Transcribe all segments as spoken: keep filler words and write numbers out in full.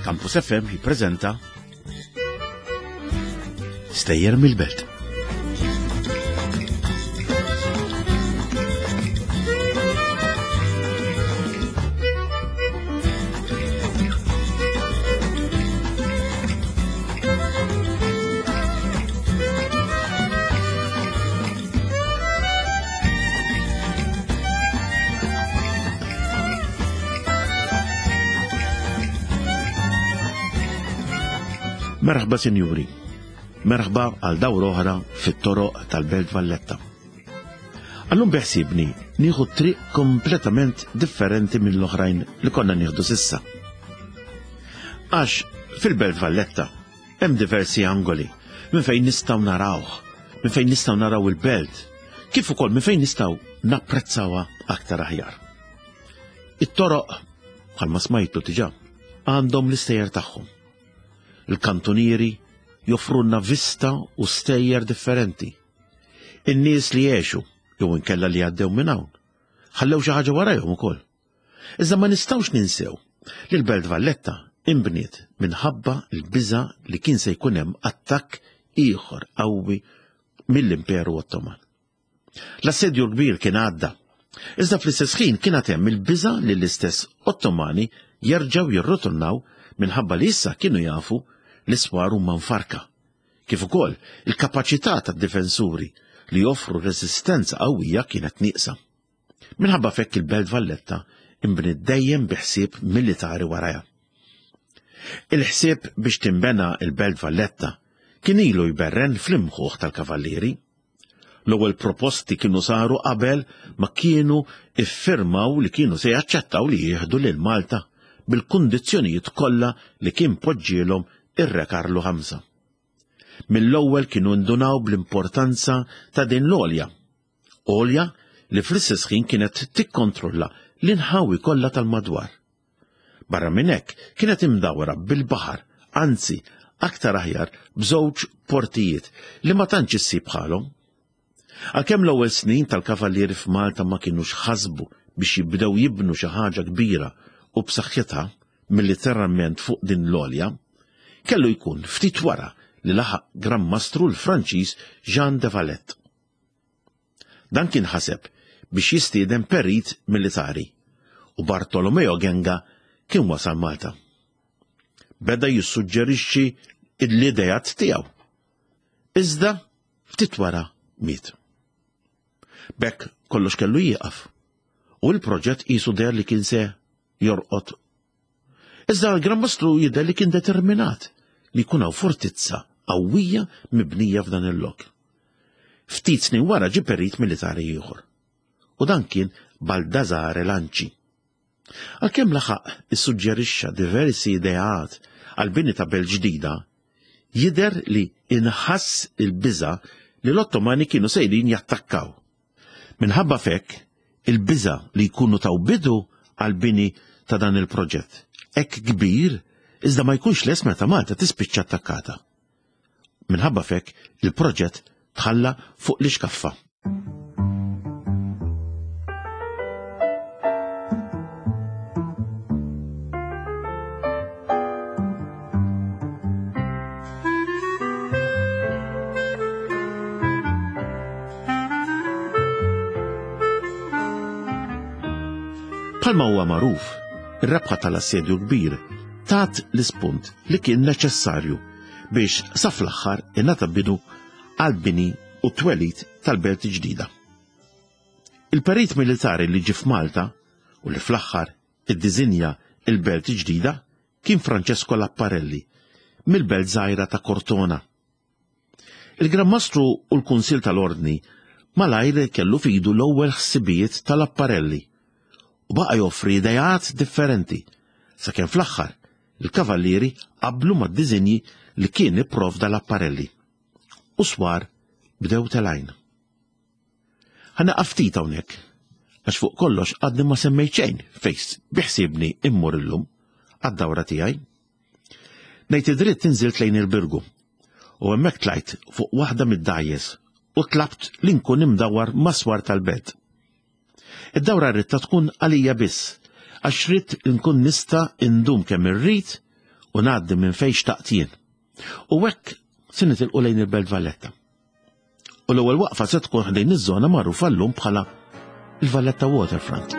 Campus F M jippreżenta Stejjer mill-Belt. Merħba sinjuri, merħba għal dawra oħra fit-toroq tal-Belt Valletta. Għallum beħsibni nieħu triq kompletament differenti mill-oħrajn li konna nieħdu sissa. Għax fil-Belt Valletta hemm diversi angoli minn fejn nistgħu narawh, minn fejn nistgħu naraw il-belt, kif ukoll minn fejn nistgħu napprezzawha aktar aħjar. It-toroq, bħalma smajtu diġà, għandhom l-istejjer tagħhom. Il-kantunieri joffrunna vista u stejjer differenti. In-nies li jgħixu jew inkella li għaddew minn hawn, ħallew xi ħaġa warajhom ukoll. Iżda ma nistgħux ninsew li l-Belt Valletta inbniet minħabba l-biża' li kien se jkun hemm attakk ieħor qawwi mill-Imperu Ottoman. L-assedju l-kbir kien għadda, iżda fl-istess ħin kien għad hemm il-biża' li l-istess Ottomani jerġgħu jirritornaw minħabba li issa kienu jafu li swar huma mfarka, kif ukoll il-kapaċità tad-difensuri li joffru reżistenza qawwija kienet nieqsa. Minħabba fekk il-Belt Valletta inbniet dejjem bi ħsieb militari warajha. Il-ħsieb biex tinbena il-Belt Valletta kien ilu jberren fl-imħuħ tal-kavallieri. L-ewwel proposti kienu saru qabel ma kienu iffirmaw li kienu se jaċċettaw li jieħdu lil Malta bil-kundizzjonijiet kollha li kien poġġielhom ir-Re Karlu ħamsa. Mill-ewwel kienu ndunaw bl-importanza ta' din l-għolja. Għolja li fl-istess ħin kienet tikkontrolla l-inħawi kollha tal-madwar. Barra minn hekk kienet imdawra bil-baħar, anzi aktar aħjar b'żewġ portijiet li ma tantx issib bħalhom. Għalkemm l-ewwel snin tal-kavallieri f'Malta ma kinux ħasbu biex jibdew jibnu xi ħaġa kbira u b'saħħitha militerament fuq din l-għolja, kellu jkun ftit wara li laħaq Gran Mastru l-Franċiż Jean de Valette. Dan kien ħaseb biex jistieden perit militari u Bartolomeo Genga kien wasal Malta. Beda jissuġġerixxi l-idejat tiegħu. Iżda ftit wara miet. B'hekk kollox kellu jieqaf u l-proġett qisu deher li kien se jorqod. Iżda l-Gran Mastru jidher li kien determinat li jkun hawn fortizza qawwija mibnija f'dan il-lok. Ftit snin wara ġie perit militari ieħor. U dan kien Baldassare Lanci. Għalkemm laħaq issuġġerixxa diversi ideat għal bini ta' belt ġdida, jidher li inħass il-biża' li l-Ottomani kienu sejrin jattakkaw. Minħabba fekk, il-biża' li jkunu taw bidu għal bini ta' dan il-proġett hekk kbir, iżda ma jkunx les meta Malta tispiċċa attakkata. Minħabba fekk, il-proġett tħalla fuq l-ixkaffa. Bħalma huwa magħruf, ir-rebħa tal-assedju kbir tat l-ispunt li kien neċessarju biex sa fl-aħħar ingħata bidu għall-bini u t-twelid tal-belt ġdida. Il-perit militari li ġie f'Malta u li fl-aħħar iddiżinja il-belt ġdida kien Francesco Laparelli mill-belt żgħira ta' Cortona. Il-Gran Mastru u l-Kunsill tal-Ordni malajr kellu fidu l-ewwel ħsibijiet tal-Apparelli u baqa' joffri idejat differenti sakemm fl-aħħar il-kavallieri qablu mad-diżinji li kien ipprovda l-Apparelli. U swar bdew telgħin. Ħa naqaf ftit hawnhekk, għax fuq kollox għadni ma semmejt xejn fejn biħsiebni immur illum għad-dawra tiegħi. Ngħid id-dritt inżilt lejn il-Birgu u hemmhekk tlajt fuq waħda mid-dgħajjes u tlabt li nkun imdawwar mas-swar tal-belt. Id-dawra rridta tkun għalija biss, għax ridt nkun nista' indum kemm irrid u ngħaddi minn fejn xtaqt jien. U hekk se nitilqu lejn il-Belt Valletta. U l-ewwel waqfa se tkun ħdejn iż-żona magħrufa llum bħala il-Valletta Waterfront.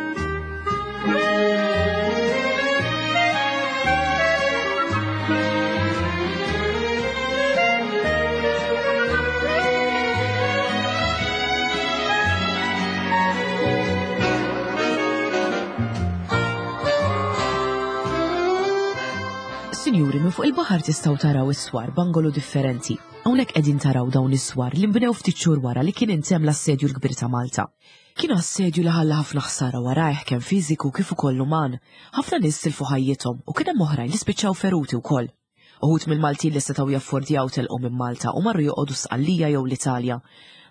Sinjuri, minn fuq il-baħar tistgħu taraw is-swar b'angolu differenti. Hawnhekk qegħdin taraw dawn is-swar li nbnew ftit xhur wara li kien intemm l-assedju l-kbir ta' Malta. Kien assedju li ħalla ħafna ħsara warajh kemm fiżiku kif ukoll uman. Ħafna nies tilfu ħajjithom u kien hemm oħrajn li spiċċaw feruti wkoll. Uħud mill-Maltin li setgħu jaffordjaw telqu minn Malta u marru joqogħdu Sqallija jew l-Italja.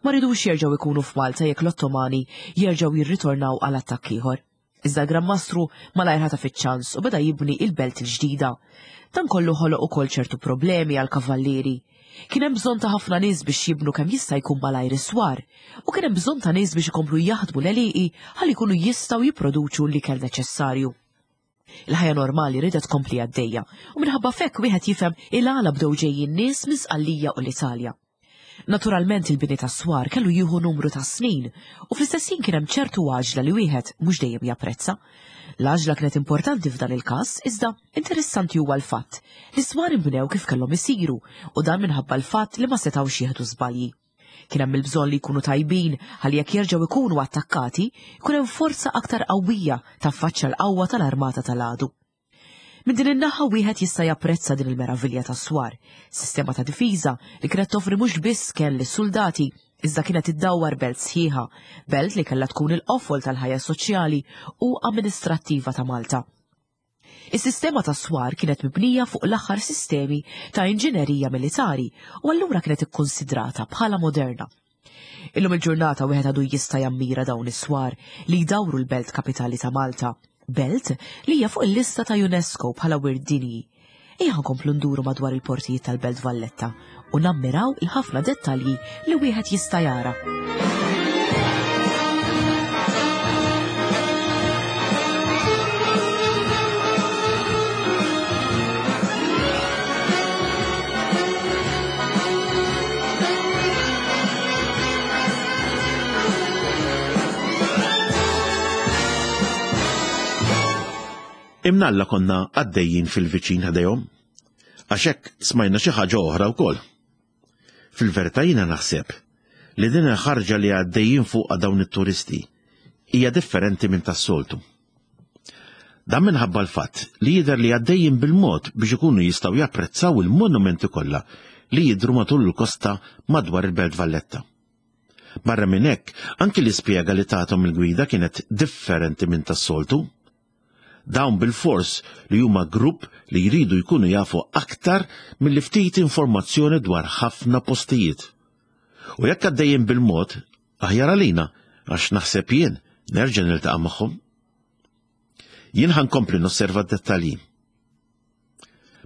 Ma ridux jerġgħu jkunu f'Malta jekk l-Ottomani jerġgħu jirritornaw għal attakk ieħor. Iżda l-Gran Mastru malajr ħataf iċ-ċans u beda jibni il-belt il-ġdida. Dan kollu ħoloq ukoll ċertu problemi għal kavallieri. Kien hemm bżonn ta' ħafna nies biex jibnu kemm jista' jkun malajr is-swar, u kien hemm bżonn ta' nies biex ikomplu jaħdmu l-għelieqi ħalli jkunu jistgħu jipproduċu l-ikel neċessarju. Il-ħajja normali ridet tkompli għaddejja u minħabba f'hekk wieħed jifhem il-għala bdew ġejjin nies minn Sqallija u l-Italja. Naturalment il-bini tas-swar kellu jieħu numru ta' snin u fl-istess ħin kien hemm ċertu għaġla li wieħed mhux dejjem japprezza. L-għaġla kienet importanti f'dan il-każ, iżda interessanti huwa l-fatt li s-swar inbnew kif kellhom isiru u dan minħabba l-fatt li ma setgħux jieħdu żbalji. Kien hemm il-bżonn li jkunu tajbin ħalli jekk jerġgħu jkunu attakkati, jkun hemm forza aktar qawwija taffaċċja l-qawwa tal-armata tal-għadu. Minn din in-naħa wieħed jista' japprezza din il-meravilja tas-swar, sistema ta' difiża li kienet toffri mhux biss kenn lis-suldati, iżda kienet iddawwar belt sħiħa, belt li kellha tkun il-qofol tal-ħajja soċjali u amministrattiva ta' Malta. Is-sistema tas-swar kienet mibnija fuq l-aħħar sistemi ta' inġinerija militari u allura kienet ikkonsidrata bħala moderna. Illum il-ġurnata wieħed għadu jista' jammira dawn is-swar li jdawru l-belt kapitali ta' Malta, belt li hija fuq il-lista ta' UNESCO bħala wirt dinji. Ejja nkomplu nduru madwar il-portijiet tal-Belt Valletta u nammiraw il-ħafna dettalji li wieħed jista' jara. Imnalla konna għaddejjin fil-viċin ħdejhom, għax hekk smajna xi ħaġa oħra wkoll. Fil-verità jiena naħseb li din il-ħarġa li għaddejjin fuqha dawn it-turisti hija differenti minn tas-soltu. Dan minħabba l-fatt li jidher li għaddejjin bil-mod biex ikunu jistgħu japprezzaw il-monumenti kollha li jidhru matul il-kosta madwar il-Belt Valletta. Barra minn hekk, anki l-ispjega li tagħthom il-gwida kienet differenti minn tas-soltu. Dawn bil-fors li huma grupp li jridu jkunu jafu aktar milli ftit informazzjoni dwar ħafna postijiet. U jekk għaddejjin bil-mod, aħjar għalina, għax naħseb jien nerġa' niltaqa' magħhom. Jien ħankompli nosserva d-dettalji.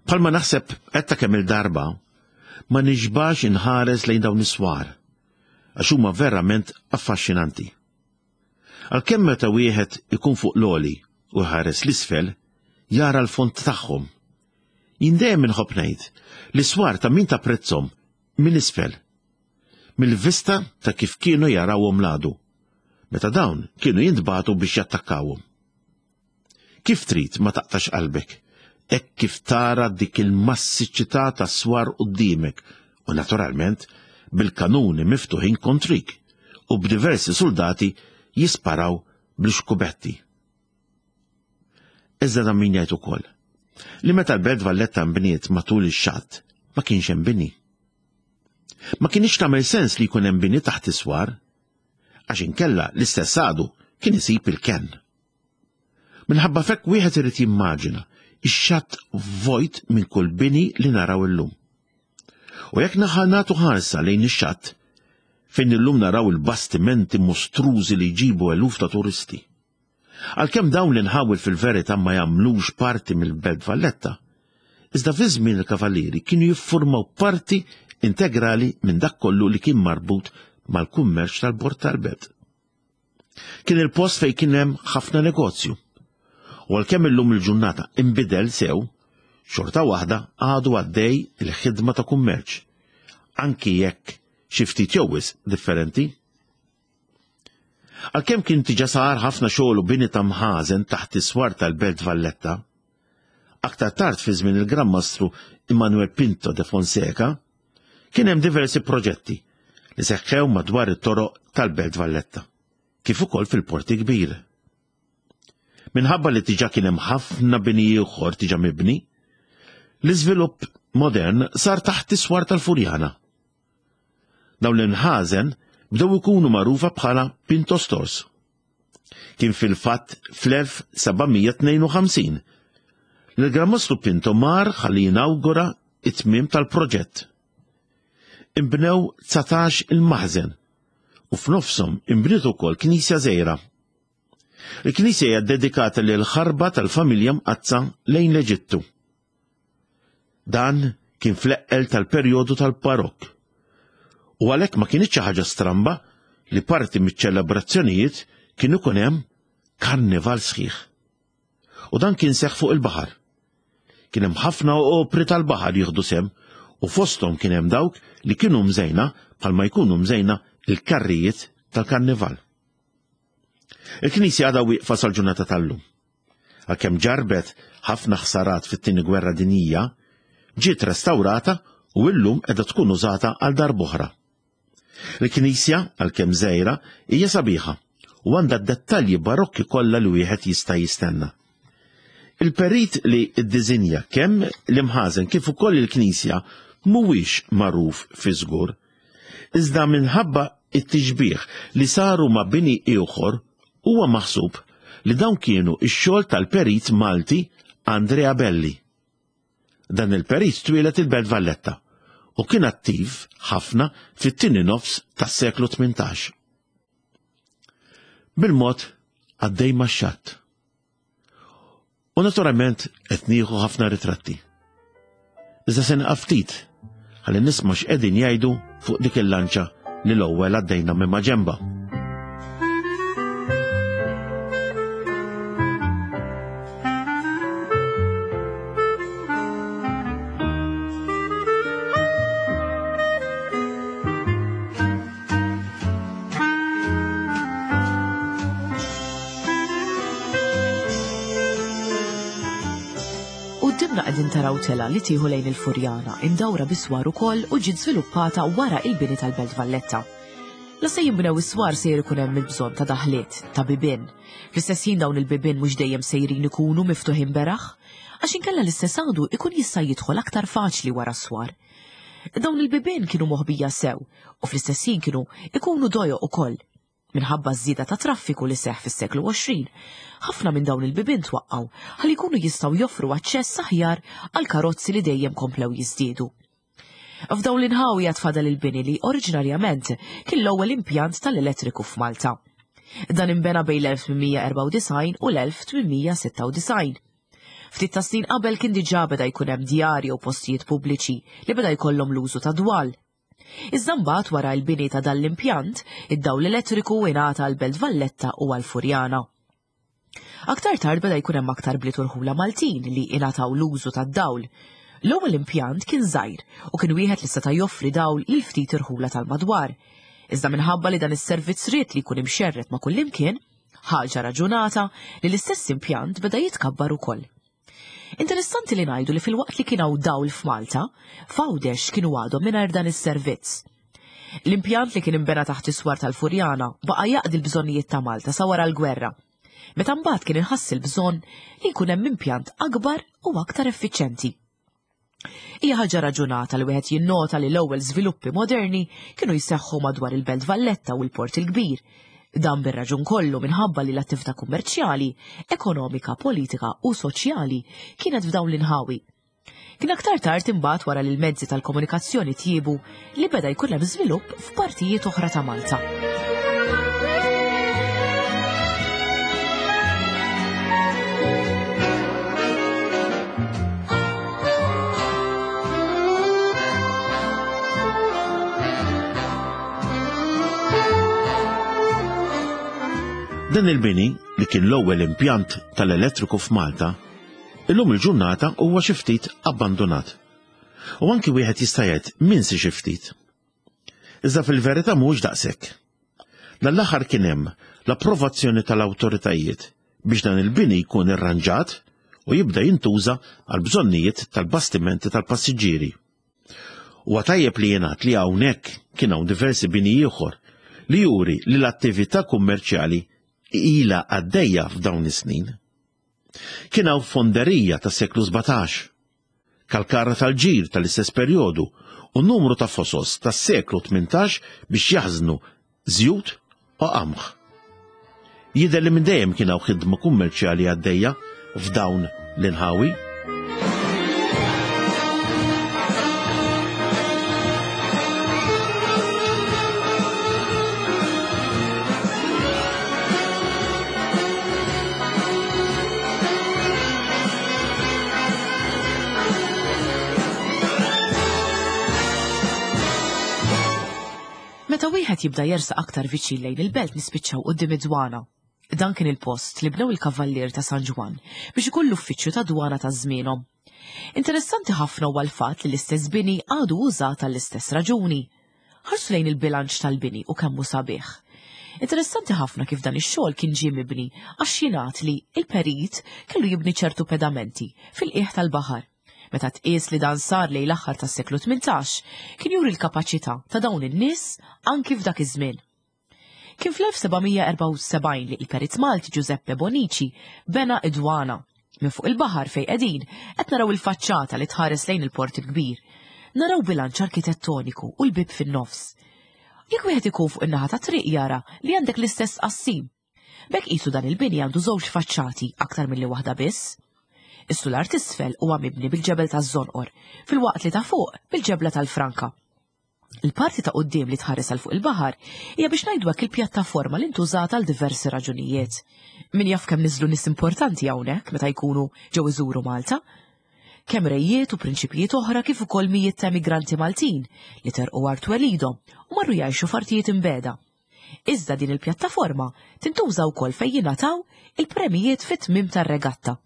Bħalma naħseb qed ta' kemm il-darba, ma nixbax inħares lejn dawn is-swar, għax huma verament affaxxinanti. Għalkemm meta wieħed ikun fuq l-għoli u ħares l-isfel, jara l-fond tagħhom. Jien dejjem inħobb ngħid li swar ta' min tapprezzhom minn isfel, mill-vista ta' kif kienu jarawhom l-għadu, meta dawn kienu jintbagħtu biex jattakkawhom. Kif trid ma taqtax qalbek, hekk kif tara dik il-massiċità ta' swar quddiemek u naturalment bil-kanuni miftuħin kontrik u b'diversi soldati jisparaw bl-xkubetti. Iżda dan min jgħid ukoll li meta l-Belt Valletta nbniet matul ix-xatt ma kienx hemm bini. Ma kienx tagħmel sens li jkun hemm bini taħt is-swar, għax inkella l-istess għadu kien isib il-kenn. Minħabba fekk wieħed irid jimmaġina ix-xatt vojt minn kull bini li naraw illum. U jekk naħa nagħtu ħarsa lejn ix-xatt, fejn illum naraw il-bastimenti mostrużi li jġibu eluf ta' turisti. Għalkemm dawn l-inħawil fil-verità ma jagħmlux parti mill-Belt Valletta, iżda fi żmien il-Kavallieri kienu jiffurmaw parti integrali minn dak kollu li kien marbut mal-kummerċ tal-bord tal-belt. Kien il-post fejn kien hemm ħafna negozju. U għalkemm illum il-ġurnata inbidel sew, Xorta waħda għadu għaddej il-ħidma ta' kummerċ, anki jekk xi ftit jew wisq differenti. Għalkemm kien diġà sar ħafna xogħol u bini ta' mħażen taħt is-swar tal-Belt Valletta, aktar tard fi żmien il-Gran Mastru Immanuel Pinto de Fonseca, kien hemm diversi proġetti li seħħew madwar it-toroq tal-Belt Valletta, kif ukoll fil-Port il-Kbir. Minħabba li diġà kien hemm ħafna bini ieħor diġà mibni, l-iżvilupp modern sar taħt is-swar tal-Furjana. Dawn l-inħażen bdew ikunu magħrufa bħala Pinto Stores. Kien fil-fatt fl-elf seba' mija tnejn u ħamsin li l-Gran Mastru Pinto mar ħalli jinawgura it-tmiem tal-proġett. Imbnew dsatax il-maħżen u f'nofshom imbniet ukoll knisja żgħira. Il-knisja hija dedikata lil ħarba tal-familja mqaddsa lejn l-Eġittu. Dan kien fl-eqqel tal-perjodu tal-Barokk. U għalhekk ma kienx xi ħaġa stramba li parti miċ-ċelebrazzjonijiet kien ikun hemm karnival sħiħ. U dan kien seħħ fuq il-baħar. Kien hemm ħafna opri tal-baħar jieħdu sehem u fosthom kien hemm dawk li kienu mżejna bħalma jkunu mżejna il-karrijiet tal-karnival. Il-knisja għadha wieqfa sal-ġurnata tal-lum. Għalkemm ġarbet ħafna ħsarat fit-tieni gwerra dinjija, ġiet restawrata u illum qiegħda tkun użata għal darb'oħra. Il-knisja, għalkemm żgħira, hija sabiħa u għandha d-dettalji barokki kollha li wieħed jista' jistenna. Il-perit li ddisinja kemm l-imħażen kif ukoll il-knisja mhuwiex magħruf fi żgur, iżda minħabba it-tixbih li saru ma' bini ieħor huwa maħsub li dawn kienu x-xogħol tal-perit Malti Andrea Belli. Dan il-perit twieled il-Belt Valletta u kien attiv ħafna fit-tieni nofs tas-seklu tmintax. Bil-mod għaddej max-xatt. U naturalment qed nieħu ħafna ritratti. Iżda se nieqaf ftit ħalli nisma' x'qegħdin jgħidu fuq dik il-lanċa li l-ewwel għaddejna minn maġenba. Quddiemna qegħdin taraw tela li tieħu lejn il-Furjana, imdawra biswar ukoll u ġiet żviluppata wara il-bini tal-Belt Valletta. La se jinbnew is-swar sejjer ikun hemm il-bżonn ta' daħliet, ta' bibien. Fl-istess ħin dawn il-bibien mhux dejjem sejrin ikunu miftuħin beraħ, għax inkella l-istess għadu ikun jista' jidħol aktar faċli wara s-swar. Dawn il-bibien kienu moħbija sew u fl-istess ħin kienu ikunu dojoq ukoll. Minħabba ż-żieda ta' traffiku li seħħ fis-seklu għoxrin, ħafna minn dawn il-bibien twaqqgħu ħalli jkunu jistgħu joffru aċċess aħjar għal karozzi li dejjem komplew jiżdiedu. F'dawn l-inħawi għad fadal il-bini li oriġinarjament kien l-ewwel impjant tal-elettriku f'Malta. Dan inbena bejn l-elf tmien mija erbgħa u disgħin u l-elf tmien mija sitta u disgħin. Ftit ta' snin qabel kien diġà beda jkun hemm djar jew postijiet pubbliċi li beda jkollhom l-użu ta' dwal. Iżda mbagħad wara l-bini ta' dan l-impjant, id-dawl elettriku ingħata għal Belt Valletta u għal Furjana. Aktar tard beda jkun hemm aktar bliet u rħula Maltin li ingħataw l-użu tad-dawl. L-ewwel impjant kien żgħir u kien wieħed li seta' joffri dawl lil ftit irħula tal-madwar. Iżda minħabba li dan is-servizz ried li jkun imxerred ma' kullimkien, ħaġa raġunata li l-istess impjant beda jitkabbar ukoll. Interessanti li ngħidu li filwaqt li kien hawn dawl f'Malta, f'Għawdex kienu għadhom mingħajr dan is-servizz. L-impjant li kien imbena taħt is-swar tal-Furjana baqa' jaqdi l-bżonnijiet ta' Malta sa wara l-gwerra. Meta mbagħad kien inħass il-bżonn li jkun hemm impjant akbar u aktar effiċjenti. Hija ħaġa raġunata li wieħed jinnota li l-ewwel żviluppi moderni kienu jseħħu madwar il-Belt Valletta u l-Port il-Kbir. Dan bir-raġun kollu minħabba li l-attività kummerċjali, ekonomika, politika u soċjali kienet f'dawn l-inħawi. Kien aktar tard imbagħad wara li l-mezzi tal-komunikazzjoni tjiebu li beda jkun hemm żvilupp f'partijiet oħra ta' Malta. Dan il-bini, li kien l-ewwel impjant tal-elettriku f'Malta, Illum il-ġurnata huwa xi ftit abbandonat. U anki wieħed jista' jgħid minsi xi ftit. Iżda fil-verità mhuwiex daqshekk. Dan l-aħħar kien hemm l-approvazzjoni tal-awtoritajiet biex dan il-bini jkun irranġat u jibda jintuża għal bżonnijiet tal-bastimenti tal-passiġġieri. Huwa tajjeb li jingħad li hawnhekk kien hawn diversi bini ieħor li juri li l-attività kummerċjali ilha għaddejja f'dawn is-snin. Kien hawn fonderija tas-seklu sbatax, kalkara tal-ġir tal-istess perjodu u numru ta' fosos tas-seklu tmintax biex jaħżnu żjut u qamħ. Jidher li minn dejjem kien hawn ħidma kummerċjali għaddejja f'dawn l-inħawi. Meta wieħed jibda jersaq aktar viċin lejn il-belt nispiċċaw quddiem id-dwana. Dan kien il-post li bnew il-Kavallier ta' San Ġwann biex ikun l-uffiċċju ta' dwana ta' żmienhom. Interessanti ħafna huwa l-fatt li l-istess bini għadu użat għall-istess raġuni. Ħarsu lejn il-bilanċ tal-bini u kemm hu sabiħ. Interessanti ħafna kif dan ix-xogħol kien ġie mibni għax jingħad li il-perit kellu jibni ċertu pedamenti fil-qiegħ tal-baħar. Meta tqies li dan sar lejn l-aħħar tas-seklu tmintax, kien juri l-kapaċità ta' dawn in-nies anki f'dak iż-żmien. Kien fl-elf sebgħamija erbgħa u sebgħin li il-perit Malti Giuseppe Bonici bena id-dwana. Minn fuq il-baħar fejn qegħdin qed naraw il-faċċata li tħares lejn il-port il-kbir. Naraw bilanċ arkitettoniku u l-bib fin-nofs. Jekk wieħed ikun fuq in-naħa ta' triq jara li għandek l-istess qassim. B'hekk qisu dan il-bini għandu żewġ faċċati aktar milli waħda biss. Is-sular t'isfel huwa mibni bil-ġebel taż-żonqor, filwaqt li ta' fuq bil-ġebla tal-franka. Il-parti ta' quddiem li tħares għal fuq il-baħar hija biex ngħidu hekk il-pjattaforma li ntużat għal diversi raġunijiet. Min jaf kemm niżlu nies importanti hawnhekk meta jkunu ġew iżuru Malta. Kemm rejiet u prinċipijiet oħra kif ukoll mijiet ta' emigranti Maltin li terqu art twelidhom u marru jgħixu f'artijiet imbeda. Iżda din il-pjattaforma tintuża wkoll fejn jingħataw il-premijiet fit-tmiem tar-regatta.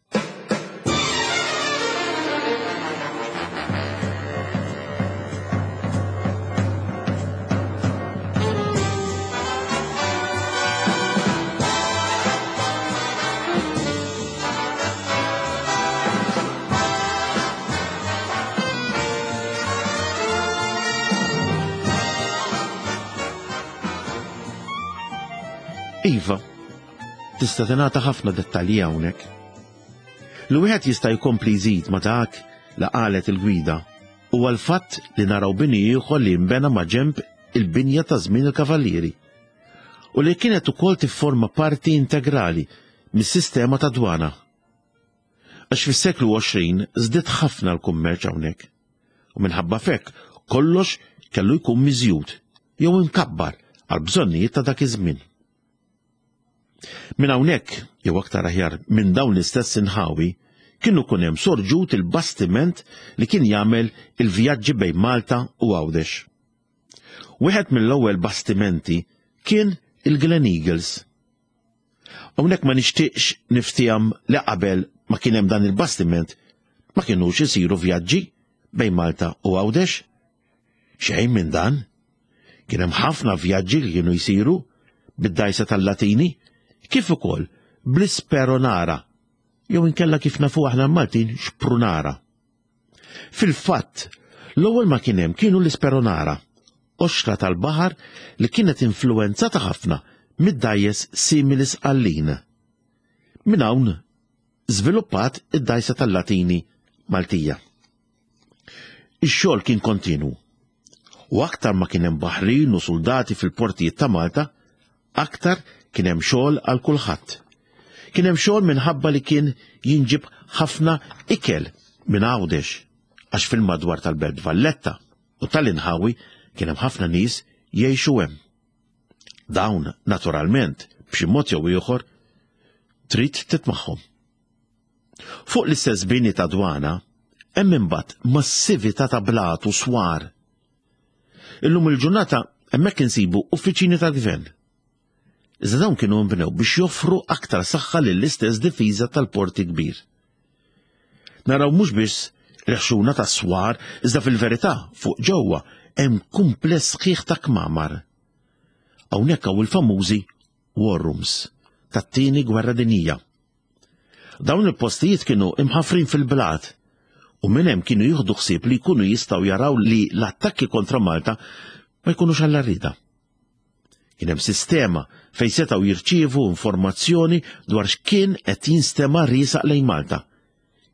Iva, tista' tingħata ħafna dettalji hawnhekk. Li wieħed jista' jkompli jżid ma' dak li qalet il-gwida huwa l-fatt li naraw bini ieħor li nbena ma' ġenb il-binja ta' żmien il-Kavallieri u li kienet ukoll tifforma parti integrali mis-sistema ta' dwana. Għax fis-seklu għoxrin żdied ħafna l-kummerċ hawnhekk u minħabba f'hekk kollox kellu jkun miżjud jew imkabbar għal bżonnijiet ta' dak iż-żmien. Minn hawnhekk, jew aktar aħjar minn dawn l-istess inħawi, kienu kun hemm sorġut il-bastiment li kien jagħmel il-vjaġġi bejn Malta u Għawdex. Wieħed mill-ewwel bastimenti kien il-Glen Eagles. Hawnhekk ma nixtieqx niftiham li qabel ma kien hemm dan il-bastiment ma kinux isiru vjaġġi bejn Malta u Għawdex. Xejn minn dan. Kien hemm ħafna vjaġġi li kienu jsiru bid-dajsa tal-Latini, kif ukoll bl-Isperonara, jew inkella kif nafu aħna Maltin xprunara. Fil-fatt, l-ewwel ma kien hemm kienu l-Isperonara, qoxra tal-baħar li kienet influwenzata ħafna mid-dajjes simili sqallin. Minn hawn żviluppat id-dajsa tal-Latini Maltija. Ix-xogħol kien kontinu. U aktar ma kien hemm baħrin u soldati fil-portijiet ta' Malta, aktar kien hemm xogħol għal kulħadd. Kien hemm xogħol minħabba li kien jinġib ħafna ikel minn Għawdex, għax fil-madwar tal-Belt Valletta u tal-inħawi kien hemm ħafna nies jgħixu hemm. Dawn, naturalment, b'xi mod jew ieħor, trid titmagħhom. Fuq l-istess bini ta' dwana, hemm imbagħad massività ta' blat u swar. Illum il-ġurnata hemmhekk insibu uffiċini tal-gvern. Iżda dawn kienu nbnew biex joffru aktar saħħa lill-istess difiża tal-porti kbir. naraw mhux biss l-ħxuna ta' swar, iżda fil-verità fuq ġewwa hemm kumpless sħiħ ta' kmamar. Hawnhekk hawn il-famużi war rooms tat-tieni gwerra dinjija. Dawn il-postijiet kienu imħafrin fil-blat u minn hemm kienu jieħdu ħsieb li jkunu jistgħu jaraw li l-attakki kontra Malta ma jkunux għall-arrida. Kien hemm sistema fejn setgħu jirċievu informazzjoni dwar x'kien qed jinstema' riesaq lejn Malta.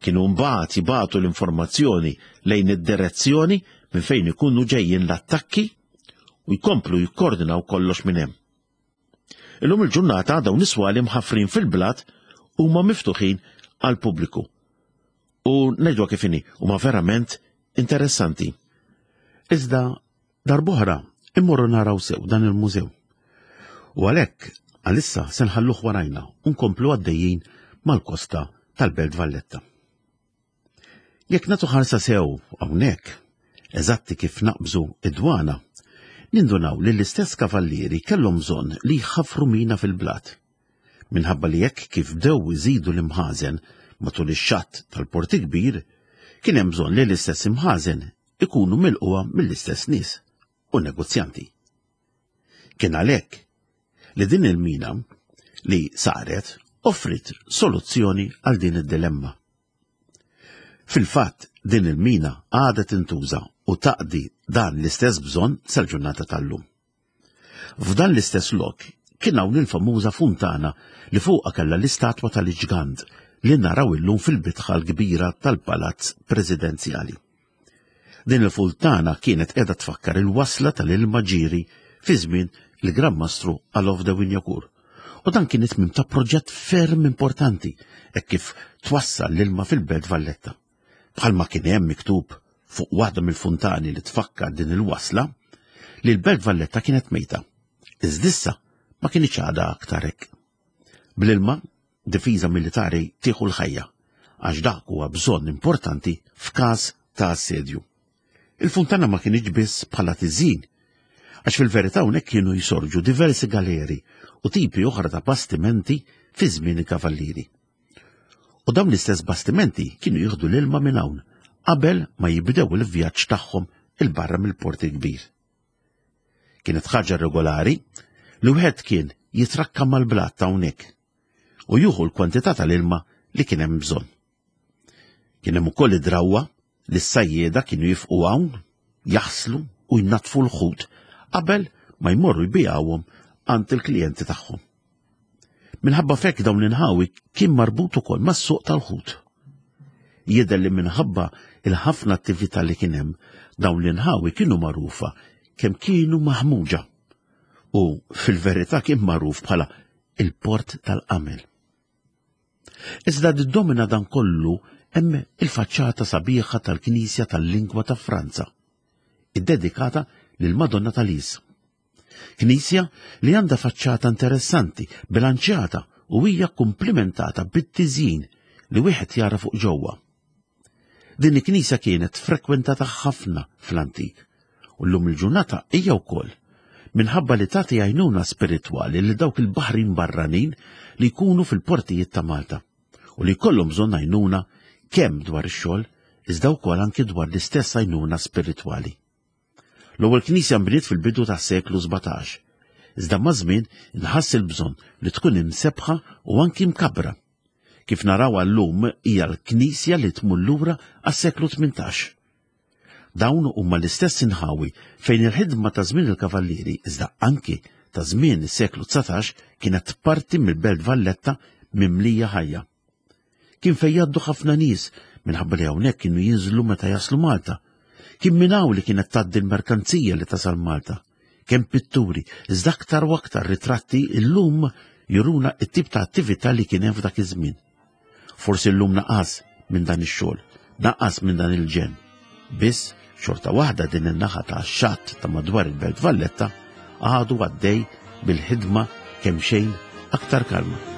Kienu mbagħad jibagħtu l-informazzjoni lejn id-direzzjoni minn fejn ikunu ġejjin l-attakki u jkomplu jikkoordinaw kollox minn hemm. Illum il-ġurnata dawn is-swali mħaffrin fil-blat huma miftuħin għal pubbliku. U ngħidwa kif inhi, huma verament interessanti. Iżda darb'oħra immorru naraw sew dan il-mużew. U għalhekk għalissa se nħalluh warajna u nkomplu għaddejjin mal-kosta tal-Belt Valletta. Jekk nagħtu ħarsa sew hawnhekk, eżatti kif naqbżu id-dwana, nindunaw li l-istess kavallieri kellhom bżonn li jħaffru mina fil-blat. Minħabba li jekk kif bdew iżidu l-imħażen matul ix-xatt tal-Port Kbir, kien hemm bżonn li l-istess imħażen ikunu milquha mill-istess nies u negozjanti. Kien għalhekk li din il-mina li saret offrit soluzzjoni għal din id-dilemma. Fil-fatt, din il-mina għadha tintuża u taqdi dan l-istess bżonn sal-ġurnata tal-lum. F'dan l-istess lok kien hawn il-famuża funtana li fuqha kellha l-istatwa tal-ġgant li naraw illum fil-bitħa l-kbira tal-Palazz Presidenzjali. Din il-funtana kienet qiegħda tfakkar il-wasla tal-ilma ġiri fi żmien il-Gran Mastru Alof de Wignacourt. U dan kien it-tmiem ta' proġett ferm importanti hekk kif twassal l-ilma fil-Belt Valletta. Bħalma kien hemm miktub fuq waħda mill-funtani li tfakkar din il-wasla, li l-Belt Valletta kienet mejta. Iżdissa ma kienx għadha aktar hekk. Bl-ilma, difiża militari tieħu l-ħajja, għax dak huwa bżonn importanti f'każ ta' assedju. Il-funtana ma kienx biss bħala tiżin, għax fil-verità hawnhekk kienu jisorġu diversi galeri u tipi oħra ta' bastimenti fi żmien il-kavallieri. U dawn l-istess bastimenti kienu jieħdu l-ilma minn hawn qabel ma jibdew il-vjaġġ tagħhom il-barra mill-Port il-Kbir. Kienet ħaġa regolari li wieħed kien jitrakka mal-blat ta' hawnhekk u jieħu l-kwantità tal-ilma li kien hemm bżonn. Kien hemm ukoll id-drawwa li s-sajjieda kienu jifqu hawn, jaħslu u jnatfu l-ħut qabel ma jmorru jbijawhom għand il-klijenti tagħhom. Minħabba fekk dawn l-inħawi kien marbut ukoll mas-suq tal-ħut. Jidher li minħabba il-ħafna attività li kien hemm, dawn l-inħawi kienu magħrufa kemm kienu maħmuġa u fil-verità kien magħruf bħala il-port tal-qamel. Iżda ddomina dan kollu hemm il-faċċata sabiħa tal-Knisja tal-Lingwa ta' Franza, iddedikata lil Madonna tal-Is. Knisja li għandha faċċata interessanti, bilanċjata u hija komplimentata bit-tiżjin li wieħed jara fuq ġewwa. Din il-knisja kienet frekwentata ħafna fl-antik u llum il-ġurnata hija wkoll minħabba li tagħti għajnuna spiritwali li dawk il-baħrin barranin li jkunu fil-portijiet ta' Malta u li jkollhom bżonn għajnuna kemm dwar ix-xogħol iżda wkoll anki dwar l-istess għajnuna spiritwali. L-ewwel knisja nbniet fil-bidu tas-seklu sbatax, iżda maż-żmien inħass il-bżonn li tkun imsebħa u anki mkabbra. Kif naraw llum hija l-knisja li tmur lura għas-seklu tmintax. Dawn huma l-istess inħawi fejn il-ħidma ta' żmien il-kavallieri iżda anki ta' żmien is-seklu dsatax kienet parti mill-Belt Valletta mimlija ħajja. Kien fejn jgħaddu ħafna nies minħabba li hawnhekk kienu jinżlu meta jaslu Malta. Kien minn hawn li kienet tgħaddi l-merkanzija li tasal Malta. Kemm pitturi, iżda aktar u aktar ritratti illum juruna t-tip ta' attività li kien hemm f'dak iż-żmien. Forsi llum naqas minn dan ix-xogħol, naqas minn dan il-ġen. Biss xorta waħda din in-naħa ta' xatt ta' madwar il-Belt Valletta għadu għaddej bil-ħidma kemm xejn aktar kalma.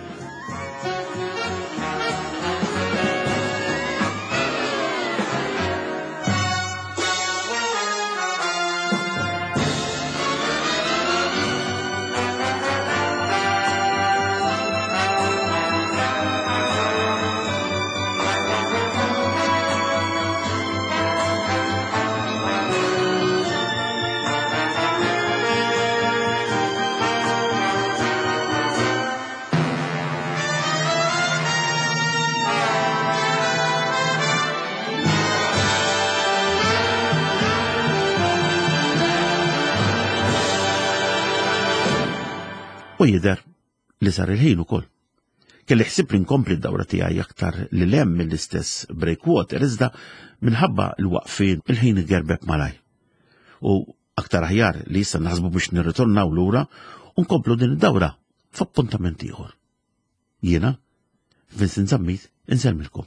U jidher li sar il-ħin ukoll. Kelli ħsieb li nkompli d-dawra tiegħi aktar lil hemm mill-istess breakwater iżda minħabba l-waqfien il-ħin igerbeb malaj. U aktar aħjar li issa naħsbu biex nirritornaw lura u nkomplu din id-dawra f'appuntament ieħor. Jiena, Vincent Zammit, insellmilkom.